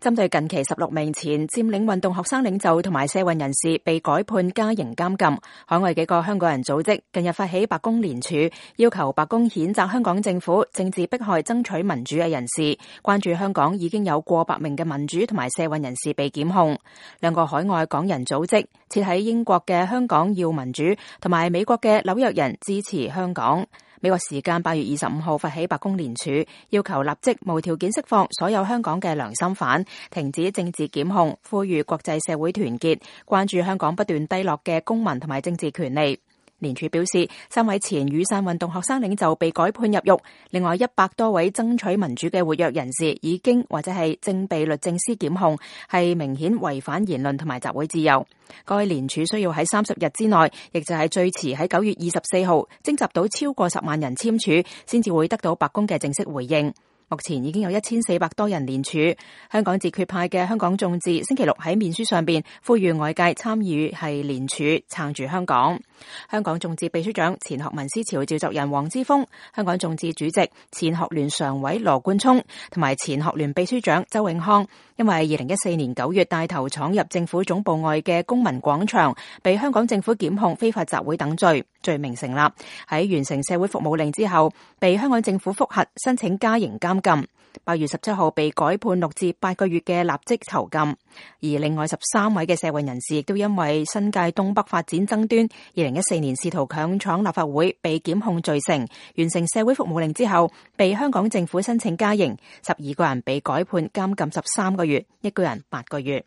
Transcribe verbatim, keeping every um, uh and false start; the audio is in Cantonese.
針對近期十六名前佔領運動學生領袖同埋社運人士被改判加刑監禁，海外幾個香港人組織近日發起白宮聯署，要求白宮譴責香港政府政治迫害爭取民主嘅人士，關注香港已經有過百名嘅民主同埋社運人士被檢控。兩個海外港人組織設喺英國嘅香港要民主同埋美國嘅紐約人支持香港。美國時間八月二十五號發起白宮聯署，要求立即無條件釋放所有香港嘅良心犯，停止政治檢控，呼籲國際社會團結，關注香港不斷低落嘅公民同埋政治權利。聯署表示，三位前雨傘運動學生領袖被改判入獄，另外一百多位爭取民主嘅活躍人士已經或者係正被律政司檢控，係明顯違反言論同埋集會自由。該聯署需要喺三十日之內，亦就係最遲喺九月二十四號徵集到超過十萬人簽署，先至會得到白宮嘅正式回應。目前已經有一千四百多人聯署。香港自決派嘅香港眾志星期六喺面書上邊呼籲外界參與係聯署撐住香港。香港眾志秘書長前學民思潮召集人黃之鋒、香港眾志主席前學聯常委羅冠聰同埋前學聯秘書長周永康，因為二零一四年九月帶頭闖入政府總部外嘅公民廣場，被香港政府檢控非法集會等罪，罪名成立。喺完成社會服務令之後，被香港政府覆核申請加刑監禁。八月十七號被改判六至八個月嘅立即囚禁。而另外十三位嘅社運人士亦都因為新界東北發展爭端，二零一四年試圖強闖立法會被檢控罪成，完成社會服務令之後被香港政府申請加刑，十二個人被改判監禁十三個月，一個人八個月。